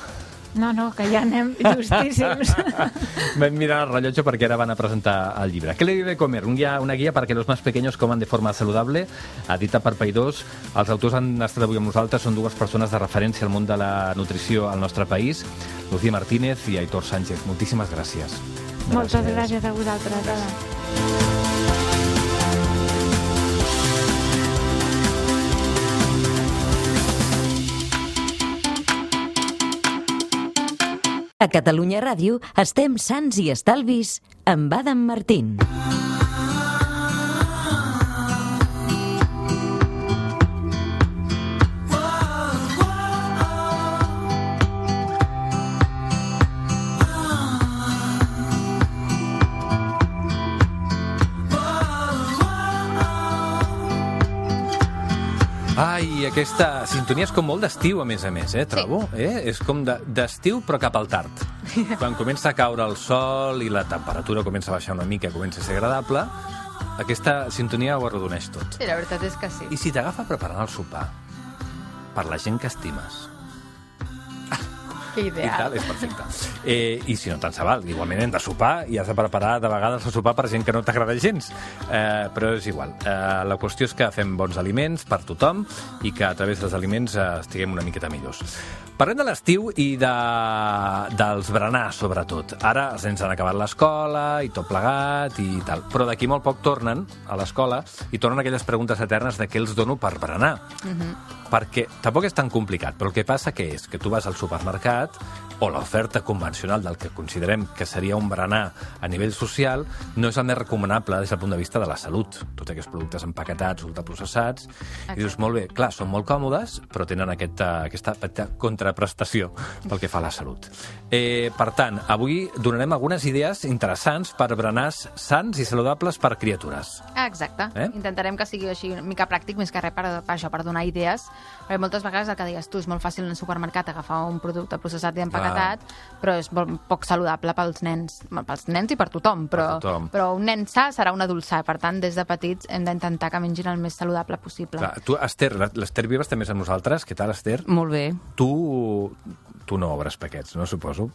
No, no, que ja anem justíssims. Vam mirar el rellotge perquè ara van a presentar el llibre. ¿Qué le debe comer? Un guía, una guía para que los más pequeños coman de forma saludable, edita per Paidós. Els autors han estat avui amb nosaltres, són dues persones de referència al món de la nutrició al nostre país, Lucía Martínez i Aitor Sánchez. Moltíssimes gràcies. Moltes gràcies a vosaltres. Ara. A Catalunya Ràdio estem sants i estalvis amb Adam Martín. Ai, aquesta sintonia és com molt d'estiu, a més a més, eh, trobo. Sí. Eh? És com de- d'estiu, però cap al tard. Quan comença a caure el sol i la temperatura comença a baixar una mica, comença a ser agradable, aquesta sintonia ho arrodoneix tot. Sí, la veritat és que sí. I si t'agafa preparant el sopar per la gent que estimes, Ideal. I tal, és perfecte. Eh, I si no, tant se val. Igualment hem de sopar i has de preparar de vegades el sopar per gent que no t'agrada gens. Eh, però és igual. Eh, la qüestió és que fem bons aliments per tothom i que a través dels aliments eh, estiguem una miqueta millors. Parlem de l'estiu i de, dels berenars, sobretot. Ara els nens han acabat l'escola i tot plegat i tal. Però d'aquí molt poc tornen a l'escola i tornen aquelles preguntes eternes de què els dono per berenar. Mm-hmm. Perquè tampoc és tan complicat, però el que passa que és que tu vas al supermercat o l'oferta convencional del que considerem que seria un berenar a nivell social no és el més recomanable des del punt de vista de la salut. Tots aquests productes empaquetats, ultraprocessats, i dius, molt bé, clar, són molt còmodes, però tenen aquesta, aquesta petita contraprestació pel que fa a la salut. Eh, per tant, avui donarem algunes idees interessants per berenars sants i saludables per criatures. Exacte. Eh? Intentarem que sigui així una mica pràctic, més que res per, per això, per donar idees. Perquè moltes vegades el que deies tu és molt fàcil en el supermercat agafar un producte processat i empaquetat, però és molt poc saludable pels nens, pels nens i per tothom, però, Per tothom. però un nen sa serà un adult sa. Per tant, des de petits hem d'intentar que mengin el més saludable possible. Clar, tu, Esther, l'Esther Vives també és amb nosaltres. Què tal, Esther? Molt bé. Tu, tu no obres paquets, no, suposo?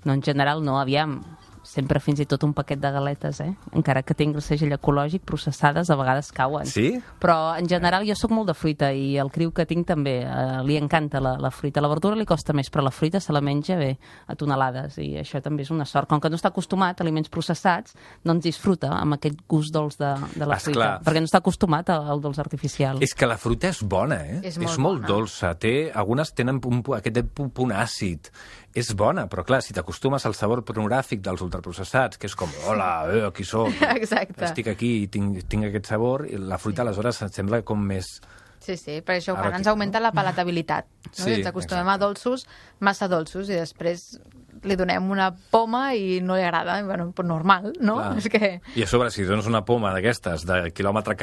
No, en general no, aviam. Sempre fins i tot un paquet de galetes, eh? Encara que tingui el segell ecològic, processades, a vegades cauen. Sí? Però, en general, jo sóc molt de fruita i el criu que tinc també eh, li encanta la, la fruita. La verdura li costa més, però la fruita se la menja bé a tonelades i això també és una sort. Com que no està acostumat a aliments processats, doncs disfruta amb aquest gust dolç de, de la Esclar. fruita, perquè no està acostumat al dolç artificial. És que la fruita és bona, eh? És molt és molt bona. dolça. Té, algunes tenen un, aquest punt àcid. És bona, però clar, si t'acostumes al sabor pornogràfic dels ultraprocessats, que és com, hola, eh, aquí soc, Exacte. estic aquí i tinc, tinc aquest sabor, i la fruita aleshores em sembla com més... Sí, sí, per això Ara quan ens aquí, augmenta la palatabilitat. No? Sí, I ens acostumem exacte. a dolços, massa dolços, i després li donem una poma i no li agrada. Bueno, pues normal, no? Clar. És que... I a sobre, si dones una poma d'aquestes, de quilòmetre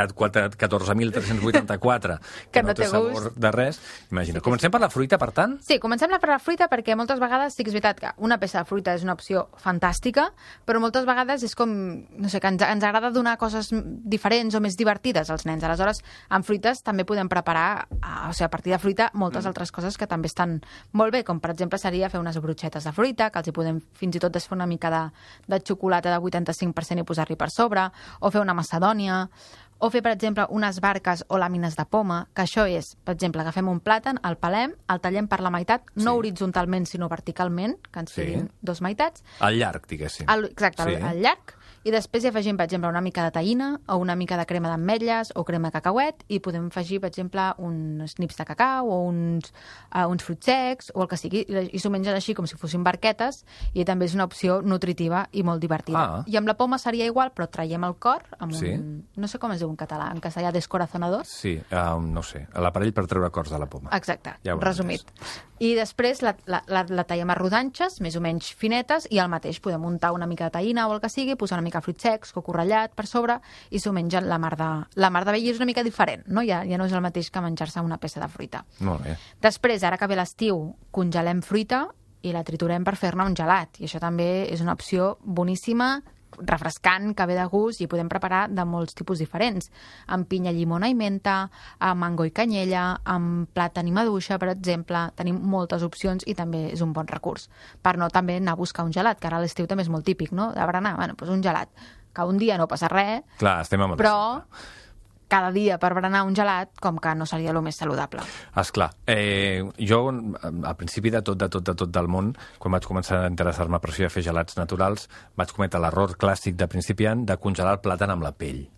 catorze mil tres-cents vuitanta-quatre, que, Que no, no té té sabor gust. de res, imagina. Comencem per la fruita, per tant? Sí, comencem per la fruita perquè moltes vegades sí que és veritat que una peça de fruita és una opció fantàstica, però moltes vegades és com, no sé, que ens, ens agrada donar coses diferents o més divertides als nens. Aleshores, amb fruites també podem preparar, o sigui, a partir de fruita, moltes mm. altres coses que també estan molt bé, com per exemple seria fer unes brotxetes de fruita, que els hi podem fins i tot desfer una mica de, de xocolata de vuitanta-cinc per cent i posar-li per sobre, o fer una macedònia, o fer, per exemple, unes barques o làmines de poma, que això és, per exemple, agafem un plàtan, el pelem, el tallem per la meitat, no Sí. horitzontalment, sinó verticalment, que ens Sí. quedin dos meitats, Al llarg, diguéssim. el, exacte, Sí. el, el llarg, i després hi afegim, per exemple, una mica de taïna o una mica de crema d'ametlles o crema de cacauet i podem afegir, per exemple, uns nips de cacau o uns, uh, uns fruits secs o el que sigui, i, i s'ho mengen així com si fossin barquetes i també és una opció nutritiva i molt divertida. Ah. I amb la poma seria igual, però traiem el cor amb Sí. un... No sé com es diu en català, en castellà, descorazonador. Sí, um, no sé, l'aparell per treure cors de la poma. Exacte, Ja ho he resumit. I després la, la, la, la tallem a rodanxes, més o menys finetes, i al mateix podem muntar una mica de taïna o el que sigui, posar una mica de fruits secs, coco ratllat per sobre, i s'ho mengen la mar de, la mar de bé, i és una mica diferent, no? Ja, ja no és el mateix que menjar-se una peça de fruita. Molt bé. Després, ara que ve l'estiu, congelem fruita i la triturem per fer-ne un gelat, i això també és una opció boníssima, refrescant, que ve de gust i podem preparar de molts tipus diferents, amb pinya, llimona i menta, amb mango i canyella, amb plàtan i maduixa, per exemple. Tenim moltes opcions i també és un bon recurs. Per no també anar a buscar un gelat, que ara a l'estiu també és molt típic, no? De berenar, bueno, doncs un gelat, que un dia no passa res, Clar, estem amb el però cada dia per berenar un gelat com que no seria el més saludable. Esclar, eh, jo al principi de tot, de tot, de tot del món, quan vaig començar a interessar-me per això i a fer gelats naturals, vaig cometre l'error clàssic de principiant de congelar el plàtan amb la pell.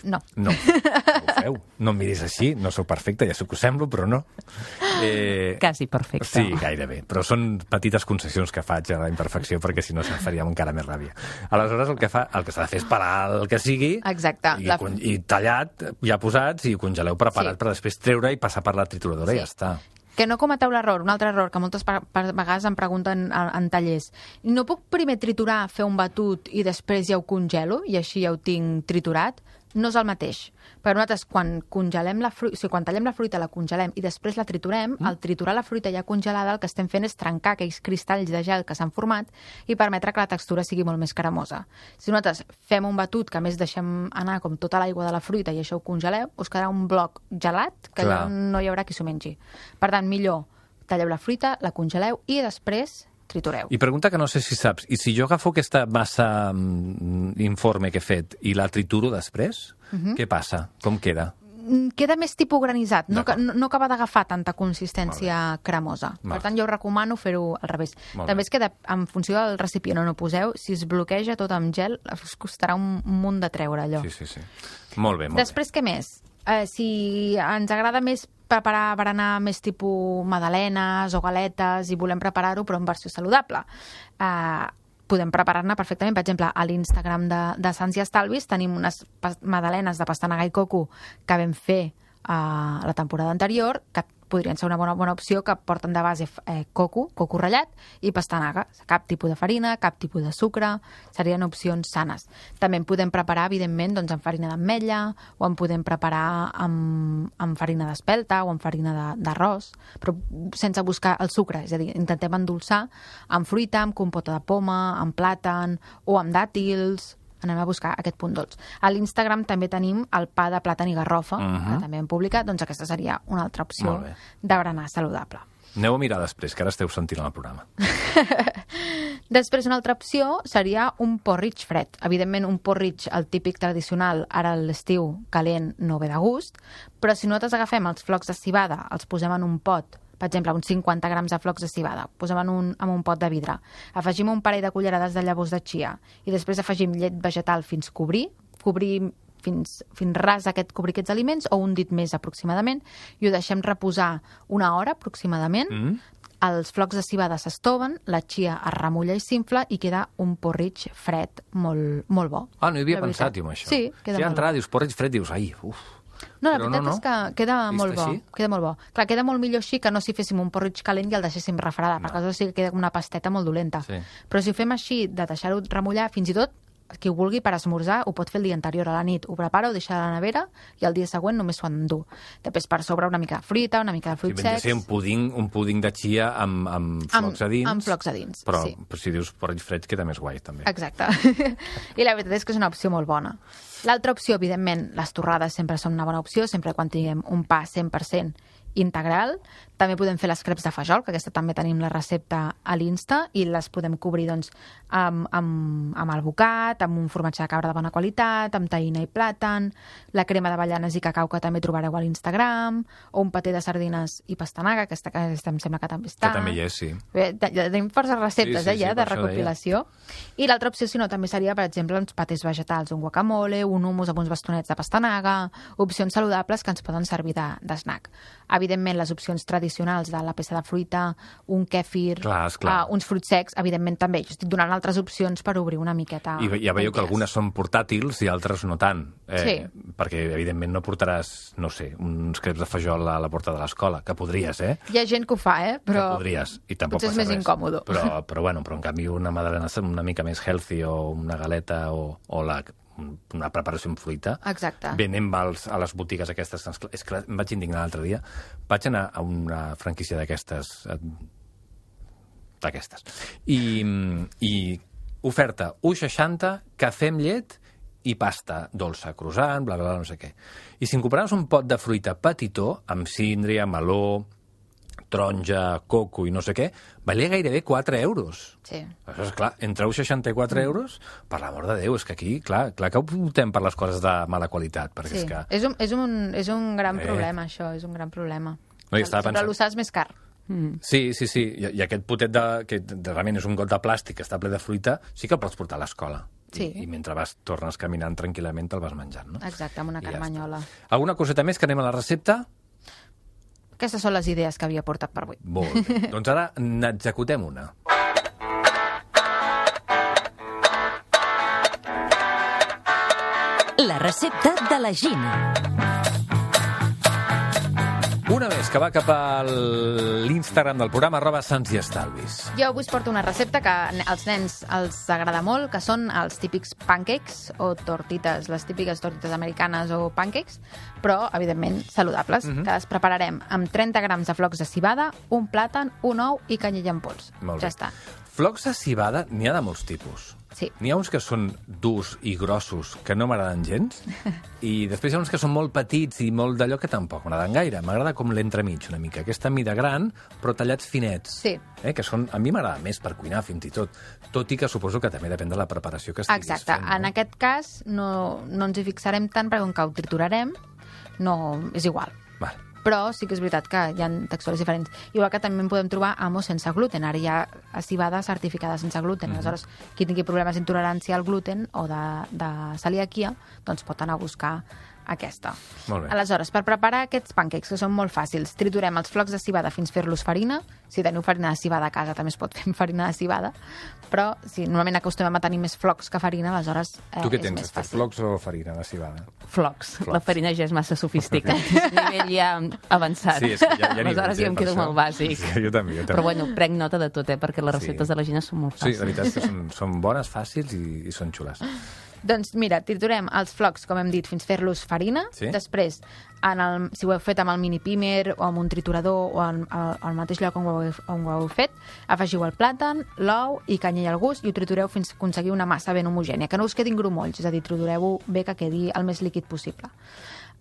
No. No, no ho feu. No em miris així, no sóc perfecte, ja sé que ho semblo, però no. Eh, Quasi perfecte. Sí, gairebé. Però són petites concessions que faig a la imperfecció perquè si no se'n faria encara més ràbia. Aleshores el que fa, el que s'ha de fer és parar el que sigui Exacte. i, La- con- i tallat, ja posats, i congeleu preparat Sí. per després treure i passar per la trituradora Sí. i ja està. Que no cometeu l'error, un altre error que moltes pa- pa- vegades em pregunten en, en tallers. No puc primer triturar, fer un batut i després ja ho congelo i així ja ho tinc triturat? No és el mateix. Però nosaltres, quan congelem la fruita, o sigui, quan tallem la fruita, la congelem i després la triturem, mm. al triturar la fruita ja congelada, el que estem fent és trencar aquells cristalls de gel que s'han format i permetre que la textura sigui molt més cremosa. Si nosaltres fem un batut que a més deixem anar com tota l'aigua de la fruita i això ho congeleu, us quedarà un bloc gelat que Clar. ja no hi haurà qui s'ho mengi. Per tant, millor talleu la fruita, la congeleu i després tritureu. I pregunta que no sé si saps, i si jo agafo aquesta massa mm, informe que he fet i la trituro després, uh-huh. què passa? Com queda? Queda més tipus granissat, no, D'acord. no, no acaba d'agafar tanta consistència cremosa. Val. Per tant, jo recomano fer-ho al revés. Molt També bé. es queda, en funció del recipient on ho poseu, si es bloqueja tot amb gel, us costarà un munt de treure allò. Sí, sí, sí. Molt bé, molt Després, què més? Eh, si ens agrada més preparar berenar més tipus magdalenes o galetes i volem preparar-ho però en versió saludable, eh, podem preparar-ne perfectament. Per exemple, a l'Instagram de, de Sants i Estalvis tenim unes magdalenes de pastanaga i coco que vam fer a la temporada anterior, que podrien ser una bona, bona opció, que porten de base eh, coco, coco ratllat i pastanaga. Cap tipus de farina, cap tipus de sucre, serien opcions sanes. També en podem preparar, evidentment, doncs, amb farina d'ametlla, o en podem preparar amb, amb farina d'espelta o amb farina de- d'arròs, però sense buscar el sucre. És a dir, intentem endolçar amb fruita, amb compota de poma, amb plàtan o amb dàtils. Anem a buscar aquest punt dolç. A l'Instagram també tenim el pa de plàtan i garrofa, Mhm. que també hem publicat, doncs aquesta seria una altra opció Molt bé. de berenar saludable. Aneu a mirar després, que ara esteu sentint el programa. Després, una altra opció seria un porridge fred. Evidentment, un porridge, el típic tradicional, ara a l'estiu calent no ve de gust, però si nosaltres agafem els flocs de civada, els posem en un pot, per exemple, uns cinquanta grams de flocs de civada, posem en un, en un pot de vidre, afegim un parell de cullerades de llavors de chia i després afegim llet vegetal fins cobrir, cobrir fins, fins ras aquest, cobrir aquests aliments o un dit més aproximadament i ho deixem reposar una hora aproximadament. Mm? Els flocs de civada s'estoven, la chia es remulla i s'infla i queda un porridge fred molt, molt bo. Ah, no hi havia La veritat. pensat, jo, en això. Sí, queda si molt entrada, bo. dius porridge fred, dius, ai, uf. No, la Però veritat no, no. és que queda Vist molt bo. així? Queda molt bo. Clar, queda molt millor així que no si féssim un porridge calent i el deixéssim refredar, No. perquè aleshores sí que queda com una pasteta molt dolenta. Sí. Però si ho fem així, de deixar-ho remullar, fins i tot qui ho vulgui per esmorzar ho pot fer el dia anterior a la nit. Ho prepara, ho deixa a la nevera i el dia següent només s'ho endú. Després per sobre una mica de fruita, una mica de Si fruits vindria a secs... ser un puding, un puding de chia amb, amb flocs a dins. Amb flocs a dins, però, sí. però si dius porridge fred queda més guai, també. Exacte. I la veritat és que és una opció molt bona. L'altra opció, evidentment, les torrades sempre són una bona opció, sempre quan tinguem un pa cent per cent integral. També podem fer les creps de fajol, que aquesta també tenim la recepta a l'Insta, i les podem cobrir doncs, amb, amb, amb alvocat, amb un formatge de cabra de bona qualitat, amb taïna i plàtan, la crema d'avellanes i cacau que també trobareu a l'Instagram, o un paté de sardines i pastanaga, aquesta que aquesta em sembla que també està. Que també hi és, sí. Bé, te- ja tenim forces receptes, Sí, sí, eh, ja, sí, de per això recopilació. I l'altra opció, si no, també seria, per exemple, uns patés vegetals, un guacamole, un hummus amb uns bastonets de pastanaga, opcions saludables que ens poden servir de, de snack. Evidentment, les opcions tradicionals de la peça de fruita, un kèfir, Clar, esclar. uh, uns fruits secs, evidentment també. Jo estic donant altres opcions per obrir una miqueta... I ja veieu que el algunes són portàtils i altres no tant. Eh, Sí. Perquè, evidentment, no portaràs, no sé, uns creps de fajol a la porta de l'escola, que podries, eh? Hi ha gent que ho fa, eh? Però Que podries, i tampoc potser és passa més res. incòmode. Però, però, bueno, però en canvi una madalena una mica més healthy o una galeta o, o la, una preparació amb fruita, Exacte. venem als, a les botigues aquestes. És que em vaig indignar l'altre dia. Vaig anar a una franquícia d'aquestes eh, d'aquestes. I, i oferta u seixanta, cafè amb llet i pasta dolça, croissant, bla, bla, bla, no sé què. I si en compraves un pot de fruita petitó, amb síndria, meló, taronja, coco i no sé què, valia gairebé quatre euros. Sí. Això és clar, entre u seixanta-quatre euros, per l'amor de Déu, és que aquí, clar, clar que optem per les coses de mala qualitat, perquè Sí. és que... És, un, és, un, és un gran Eh. problema, això, és un gran problema. No, jo estava Sempre pensant- l'usar és més car. Sí, sí, sí, I, i aquest potet de, que de, realment és un got de plàstic que està ple de fruita, sí que el pots portar a l'escola. Sí. I, I mentre vas, tornes caminant tranquil·lament, te'l vas menjant, no? Exacte, amb una I ja carmanyola. està. Alguna coseta més que anem a la recepta? Aquestes són les idees que havia portat per avui. Molt bé. Doncs ara n'executem una. La recepta de la Gina. Una més, que va cap a l'Instagram del programa, arroba Sants i Estalvis. Jo avui us porto una recepta que als nens els agrada molt, que són els típics pancakes o tortites, les típiques tortites americanes o pancakes, però, evidentment, saludables, Mhm. que les prepararem amb trenta grams de flocs de civada, un plàtan, un ou i canyella en pols. Molt ja bé. està. Flocs de civada n'hi ha de molts tipus. Sí. N'hi ha uns que són durs i grossos que no m'agraden gens, i després hi ha uns que són molt petits i molt d'allò que tampoc m'agraden gaire. M'agrada com l'entremig, una mica. Aquesta mida gran, però tallats finets. Sí. Eh? Que són, a mi m'agrada més per cuinar, fins i tot. Tot i que suposo que també depèn de la preparació que estiguis Exacte. fent. No? En aquest cas no, no ens hi fixarem tant perquè com que ho triturarem, no, és igual. Val. Però sí que és veritat que hi ha textures diferents. Igual que també en podem trobar amos sense gluten. Ara hi ha cibada certificada sense gluten. Mm -hmm. Aleshores, qui tingui problemes d'intolerància al gluten o de, de celiaquia, doncs pot anar a buscar aquesta. Molt bé. Aleshores, per preparar aquests pancakes, que són molt fàcils, triturem els flocs de cibada fins fer-los farina. Si teniu farina de cibada a casa, també es pot fer amb farina de cibada. Però si normalment acostumem a tenir més flocs que farina, aleshores eh, Tu què és tens, més Esther, fàcil. flocs o farina de cibada? Flocs. Flocs. La farina ja és massa sofisticat. És un nivell ja avançat. Sí, és que ja, ja Aleshores jo em quedo molt bàsic. Sí, jo també, jo també. Però bueno, prenc nota de tot, eh? Perquè les receptes Sí. de la Gina són molt Sí, fàcils. la veritat és que són, són bones, fàcils i, i són xules. Doncs mira, triturem els flocs, com hem dit, fins fer-los farina. Sí. Després, en el, si ho heu fet amb el mini pimer o amb un triturador o en, al, al mateix lloc on ho, heu, on ho heu fet, afegiu el plàtan, l'ou i canyella al gust i ho tritureu fins a aconseguir una massa ben homogènia, que no us quedin grumolls, és a dir, tritureu-ho bé que quedi el més líquid possible.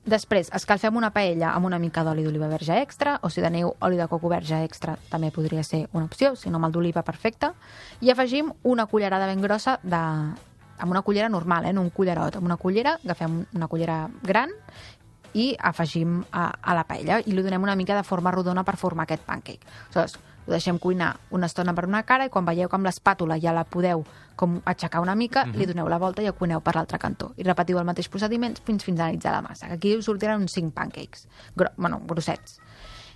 Després, escalfem una paella amb una mica d'oli d'oliva verge extra, o si teniu oli de coco verge extra també podria ser una opció, si no amb el d'oliva perfecte, i afegim una cullerada ben grossa de, amb una cullera normal, eh, no un cullerot, amb una cullera, agafem una cullera gran i afegim a, a la paella i li donem una mica de forma rodona per formar aquest pancake. Aleshores, ho deixem cuinar una estona per una cara i quan veieu que amb l'espàtula ja la podeu com aixecar una mica, mm-hmm. li doneu la volta i ho cuineu per l'altre cantó. I repetiu el mateix procediment fins finalitzar la massa. Aquí us sortiran uns cinc pancakes, gro bueno, grossets.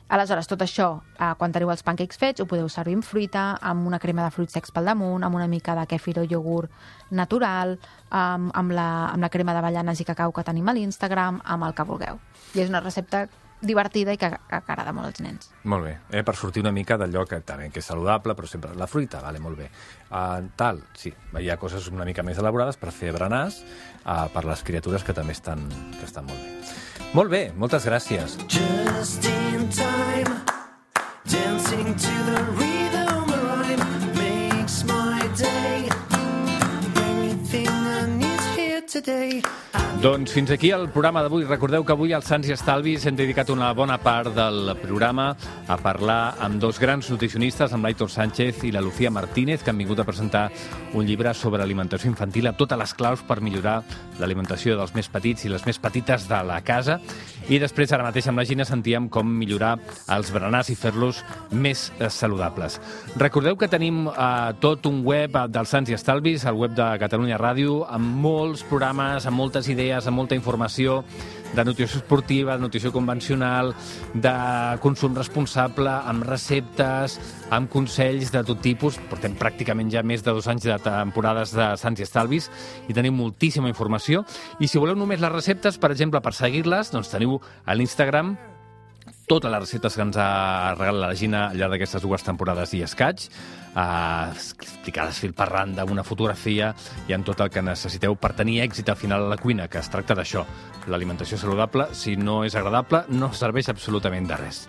Aleshores, tot això, eh, quan teniu els pancakes fets, ho podeu servir amb fruita, amb una crema de fruits secs pel damunt, amb una mica de kefir o iogurt natural, amb, amb, la, amb la crema d'avellanes i cacau que tenim a l'Instagram, amb el que vulgueu. I és una recepta divertida i que, que agrada molt als nens. Molt bé, eh? Per sortir una mica d'allò que també que és saludable, però sempre la fruita, vale, molt bé. Uh, tal, sí, hi ha coses una mica més elaborades per fer berenars uh, per les criatures que també estan, que estan molt bé. Molt bé, moltes gràcies. Just in time, dancing to the rhythm rhyme makes my day. Everything I need here today. Doncs fins aquí el programa d'avui. Recordeu que avui als Sants i Estalvis hem dedicat una bona part del programa a parlar amb dos grans nutricionistes, amb l'Aitor Sánchez i la Lucía Martínez, que han vingut a presentar un llibre sobre alimentació infantil, a totes les claus per millorar l'alimentació dels més petits i les més petites de la casa. I després, ara mateix, amb la Gina sentíem com millorar els berenars i fer-los més eh, saludables. Recordeu que tenim eh, tot un web dels Sants i Estalvis, el web de Catalunya Ràdio, amb molts programes, amb moltes idees, amb molta informació de nutrició esportiva, de nutrició convencional, de consum responsable, amb receptes, amb consells de tot tipus. Portem pràcticament ja més de dos anys de temporades de Sants i Estalvis i tenim moltíssima informació. I si voleu només les receptes, per exemple, per seguir-les, doncs teniu a l'Instagram totes les receptes que ens ha regalat la Gina al llarg d'aquestes dues temporades i escaig, eh, explicades fil per randa, amb una fotografia i amb tot el que necessiteu per tenir èxit al final a la cuina, que es tracta d'això. L'alimentació saludable, si no és agradable, no serveix absolutament de res.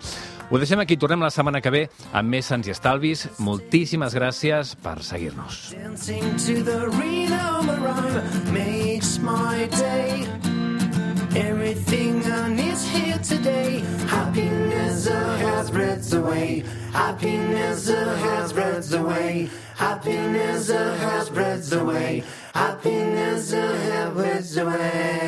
Ho deixem aquí, tornem la setmana que ve amb més Sants i Estalvis. Moltíssimes gràcies per seguir-nos. Dancing to the rhythm rhyme makes my day. Everything I need here today. Happiness uh, has spreads away. Happiness uh, has spreads away. Happiness uh, has spreads away. Happiness uh, has spreads away.